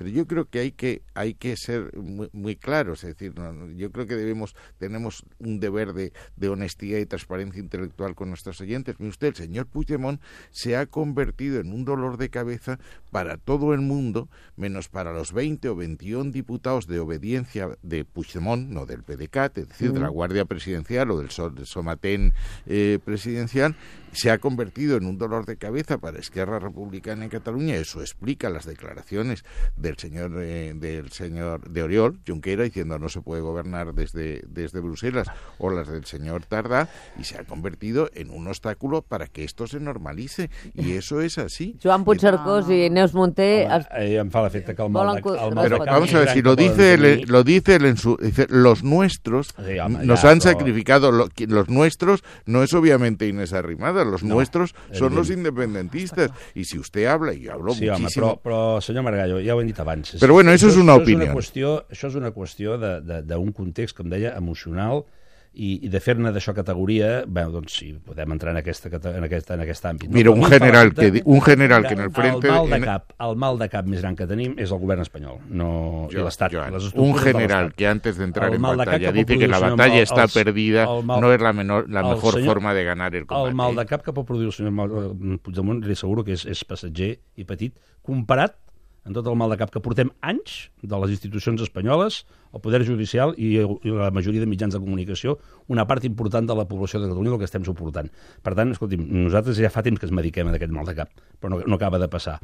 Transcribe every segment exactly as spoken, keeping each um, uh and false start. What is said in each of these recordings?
Pero yo creo que hay que, hay que ser muy, muy claros, es decir, no, yo creo que debemos, tenemos un deber de, de honestidad y transparencia intelectual con nuestros oyentes. Mire usted, el señor Puigdemont se ha convertido en un dolor de cabeza para todo el mundo, menos para los veinte o veintiún diputados de obediencia de Puigdemont, no del P D C A T, es decir, mm. de la Guardia Presidencial o del Somatén eh, presidencial. Se ha convertido en un dolor de cabeza para Esquerra Republicana en Cataluña. Eso explica las declaraciones del señor eh, del señor de Oriol Junqueras diciendo no se puede gobernar desde, desde Bruselas, o las del señor Tardà, y se ha convertido en un obstáculo para que esto se normalice, y eso es así. Joan Puigcercós i Neus Munté... Home, es... em fa l'efecte que el mal de, el mal Pero de vamos a ver, si lo dice, el, lo dice él en su... Dice, los nuestros sí, home, nos ya, han pero... sacrificado, lo, los nuestros no es obviamente Inés Arrimadas, los no, nuestros son los independentistas, y si usted habla, y yo hablo sí, muchísimo... Home, però, però, senyor Margallo, ja ho hem dit abans. Però bueno, això és una això opinió. És una qüestió, això és una qüestió d'un context, com deia, emocional, i, i de fer-ne d'això categoria, bé, doncs sí, podem entrar en, aquesta, en, aquest, en aquest àmbit. No? Mira, un general, que, un general que en el frente... El mal, de cap, el mal de cap més gran que tenim és el govern espanyol, no jo, i l'Estat. Un general que antes de entrar en batalla dice que la batalla está perdida, no es la, menor, la mejor senyor, forma de ganar el combate. El mal de cap que pot produir el senyor Puigdemont, li asseguro que és, és passatger i petit, comparat en tot el mal de cap que portem anys de les institucions espanyoles, el poder judicial i, i la majoria de mitjans de comunicació, una part important de la població de Catalunya el que estem suportant. Per tant, escolti'm, nosaltres ja fa temps que ens mediquem d'aquest mal de cap, però no, no acaba de passar.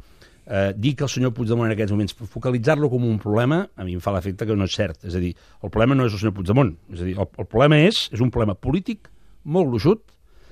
Eh, dir que el senyor Puigdemont en aquests moments, focalitzar-lo com un problema, a mi em fa l'efecte que no és cert. És a dir, el problema no és el senyor Puigdemont, és a dir, el, el problema és, és un problema polític molt gruixut,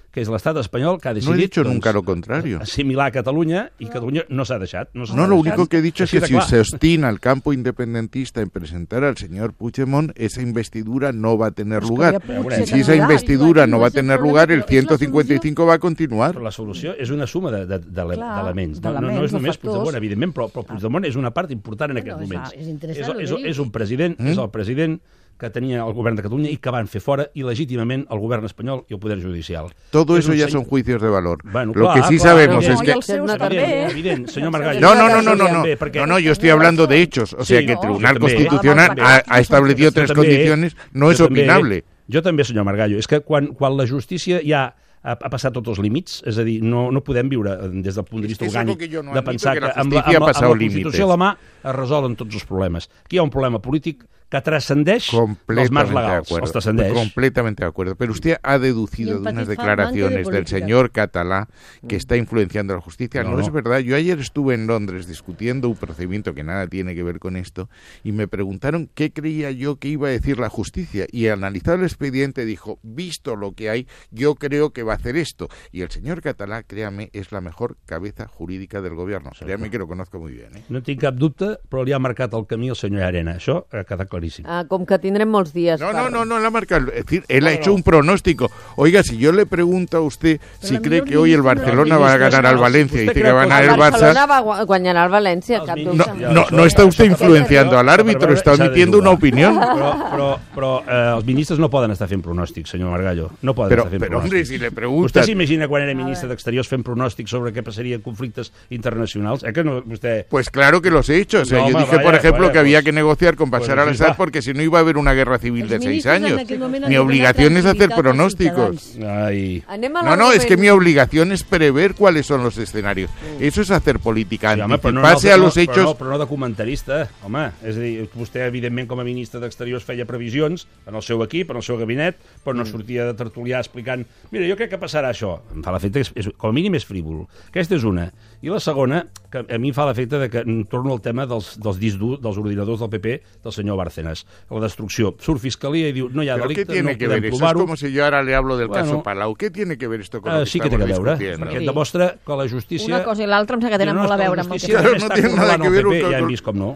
que és l'estat espanyol que ha decidit... No he dicho doncs, nunca lo contrario. Assimilar Catalunya, y Cataluña no s'ha deixat. No, no lo único que he dicho es que si se obstina el campo independentista en presentar al señor Puigdemont, esa investidura no va a tener lugar. Y si esa investidura no va a tener lugar, el ciento cincuenta y cinco va a continuar. Però la solució és una suma d'elements. No, no, no és només Puigdemont, evidentment, però, però Puigdemont és una part important en aquests moments. És, és, és un president, mm? és el president que tenia el govern de Catalunya i que van fer fora il·legítimament el govern espanyol i el poder judicial. Todo eso ya son juicios de valor. Bueno, Lo clar, que sí clar, sabemos no, es que... Evident, evident, senyor Margallo. No, no, no, no, no, no, no, no, yo estoy hablando de hechos. O sea, que el Tribunal Constitucional ha, ha establecido tres condiciones, no es opinable. Jo també, senyor Margallo. És que quan, quan la justícia ja ha, ha passat tots els límits, és a dir, no, no podem viure des del punt de vista orgànic no de pensar que, que amb, la, amb, la, amb la Constitució a la mà es resolen tots els problemes. Aquí hi ha un problema polític que trascendeix els marcs legals, els trascendeix. Completamente de acuerdo. Pero usted ha deducido de unas declaraciones de del señor Català que está influenciando la justicia. No, no, no es verdad. Yo ayer estuve en Londres discutiendo un procedimiento que nada tiene que ver con esto y me preguntaron qué creía yo que iba a decir la justicia. Y analizado el expediente dijo, visto lo que hay, yo creo que va a hacer esto. Y el señor Català, créame, es la mejor cabeza jurídica del gobierno. Créame que lo conozco muy bien. ¿eh? No tinc cap dubte, però li ha marcat el camí el senyor Arena. Això ha quedat claríssim. Ah, com que tindrem molts dies. No, no, no, no, la marca. Es decir, él ha hecho un pronóstico. Oiga, si yo le pregunto a usted si cree que hoy el Barcelona va a ganar al Valencia y dice que va a ganar el Barça... El Barcelona va a guanyar al València. No, no, no está usted influenciando al árbitro, está emitiendo una opinión. Però, però, però eh, els ministres no poden estar fent pronòstics, senyor Margallo. No poden però, estar fent però, pronòstics. Hombre, si le pregunta... Vostè s'imagina quan era ministre d'Exteriors fent pronòstics sobre què passaria en conflictes internacionals? Eh que no, vostè... Pues claro que los he hecho. O sea, no, yo home, dije, vaya, por ejemplo, vaya, que había pues, que negociar con Bashar pues, al-Assad va. porque si no iba a haber una guerra civil de seis años. Mi obligación es hacer pronósticos. Ai. No, no, es que mi obligación es prever cuáles son los escenarios. Mm. Eso es hacer política, sí, home, anticiparse no, no, a los no, hechos... Però no, però no de comentarista, home. És a dir, vostè, evidentment, com a ministre d'Exteriors feia previsions en el seu equip, en el seu gabinet, però no sortia de tertulià explicant mira, jo crec que passarà això. Em fa l'efecte que, és, com a mínim, és frívol. Aquesta és una. I la segona, que a mi em fa l'efecte de que torno al tema dels, dels discs durs, dels ordinadors del P P, del senyor Bárcenas. La destrucció. Surt Fiscalia i diu, no hi ha delicte, no podem provar-ho. Eso es como si yo ahora le hablo del bueno, caso Palau. ¿Qué tiene que ver esto con lo que sí que estamos discutiendo? Sí que té que veure, perquè sí. demostra que la justícia... Una cosa i l'altra em sembla que tenen no, molt a veure amb el que... Claro, no tiene nada que ver P P, con... Ja hem vist com no.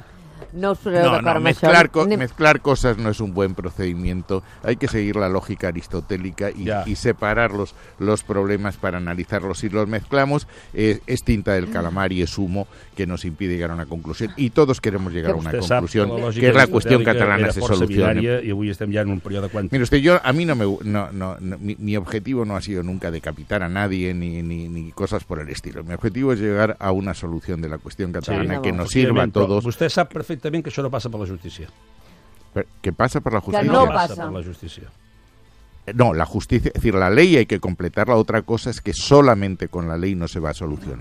No us poseu No, d'acord no, amb mezclar, això. co- Anem- mezclar cosas no es un buen procedimiento. Hay que seguir la lógica aristotélica y, Ya. y separar los, los problemas para analizarlos. Si los mezclamos, eh, es tinta del calamar y es humo que nos impide llegar a una conclusión. Y todos queremos llegar a una Vostè sap conclusión, la lògica que es la cuestión aristotèlica catalana era se força solucione. binària, I avui estem ja en un període quàntic. Mire usted, yo a mí no me no, no, no, mi, mi objetivo no ha sido nunca decapitar a nadie ni, ni, ni cosas por el estilo. Mi objetivo es llegar a una solución de la cuestión catalana Sí, que no, nos sirva a Efectivament, però todos. Vostè sap perfectament que això no passa per la justícia. Pero, ¿qué pasa por la Que justicia? no No passa. passa per la justícia. No, la justicia, es decir, la ley hay que completarla. Otra cosa es que solamente con la ley no se va a solucionar.